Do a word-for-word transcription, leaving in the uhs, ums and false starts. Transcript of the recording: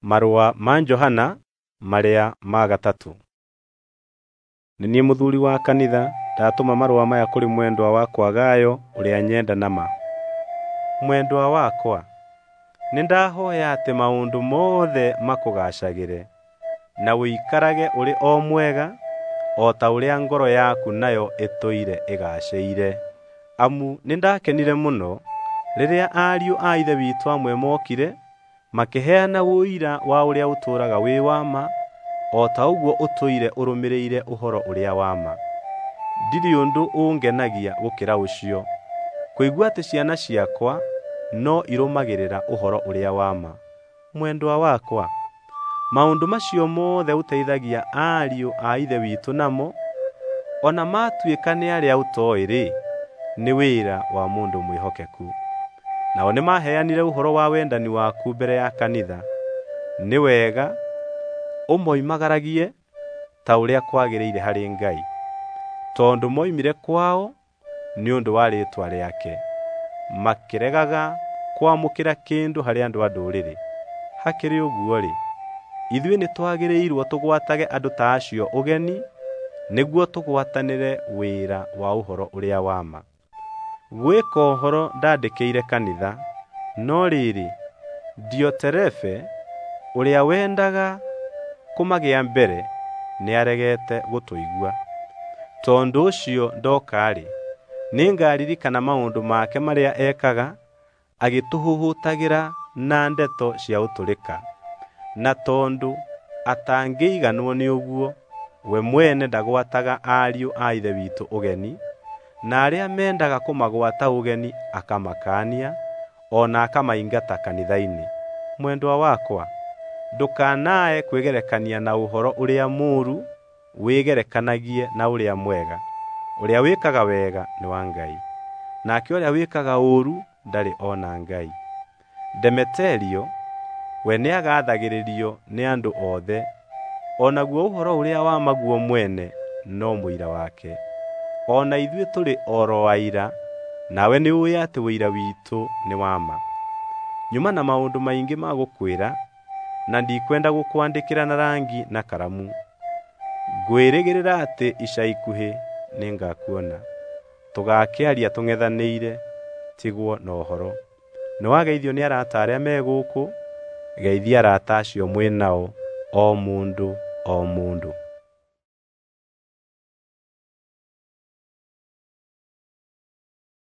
Marũa ma Johana marĩa ma gatatũ. Nĩ niĩ mũthuuri wa kanitha ndatũma marũa maya kũrĩ mwendwa wakwa Gayo ũrĩa nyenda na ma. Mwendwa wakwa, nĩndahooya atĩ maũndũ mothe makũgaacagĩre, na ũikarage ũrĩ o mwega, o ta ũrĩa ngoro yaku nayo ĩtũire ĩgaacĩire. Amu nĩndakenire mũno rĩrĩa ariũ a Ithe witũ amwe mookire makĩheana ũira wa ũrĩa ũtũũraga wĩ wa ma, o ta ũguo ũtũire ũrũmĩrĩire ũhoro ũrĩa wa ma. Ndirĩ ũndũ ũngenagia gũkĩra ũcio, kũigua atĩ ciana ciakwa no irũmagĩrĩra ũhoro ũrĩa wa ma. Mwendwa wakwa, maũndũ macio mothe ũteithagia ariũ a Ithe witũ namo, o na maatuĩka nĩ arĩa ũtooĩ-rĩ, nĩ wĩra wa mũndũ mwĩhokeku. Nao nĩmaheanire ũhoro wa wendani waku mbere ya kanitha. Nĩ wega ũmoimagaragie ta ũrĩa kwagĩrĩire harĩ Ngai, tondũ moimire kwao nĩ ũndũ wa rĩĩtwa rĩake, makĩregaga kwamũkĩra kĩndũ harĩ andũ a Ndũrĩrĩ. Hakĩrĩ ũguo-rĩ, ithuĩ nĩtwagĩrĩirwo tũgwatage andũ ta acio ũgeni nĩguo tũgwatanĩre wĩra wa ũhoro ũrĩa wa ma. Gwĩ kohoro ndandĩkĩire kanitha, no rĩrĩ, Dioterefe ũrĩa wendaga kũmagĩa mbere nĩaregete gũtũigua. Tondũ ũcio ndoka-rĩ, nĩngaririkana maũndũ make marĩa ekaga agĩtũhũhũtagĩra na ndeto cia ũtũrĩka. Na tondũ atangĩiganwo nĩ ũguo, we mwene ndagwataga ariũ a Ithe witũ ũgeni, na arĩa mendaga kũmagwata ũgeni akamakaania, o na akamaingata kanitha-inĩ. Mwendwa wakwa, ndũkanae kwĩgerekania na ũhoro ũrĩa mũũru, wĩgerekanagie na ũrĩa mwega. Ũrĩa wĩkaga wega nĩ wa Ngai, nake ũrĩa wĩkaga ũũru ndarĩ ona Ngai. Demeterio we nĩagathagĩrĩrio nĩ andũ othe, o naguo ũhoro ũrĩa wa ma guo mwene no mũira wake. O na ithuĩ tũrĩ oro aira, nawe nĩũũĩ atĩ ũira witũ nĩ wa ma. Nyuma na maũndũ maingĩ ma gũkwĩra, na ndikwenda gũkwandĩkĩra na rangi na karamu. Ngwĩrĩgĩrĩra atĩ ica ikuhĩ nĩngakuona, tũgaakĩaria tũng'ethanĩire, tigwo na ũhoro. Nĩwageithio nĩ arata arĩa me gũkũ, geithia arata acio mwĩ nao o mũndũ o mũndũ.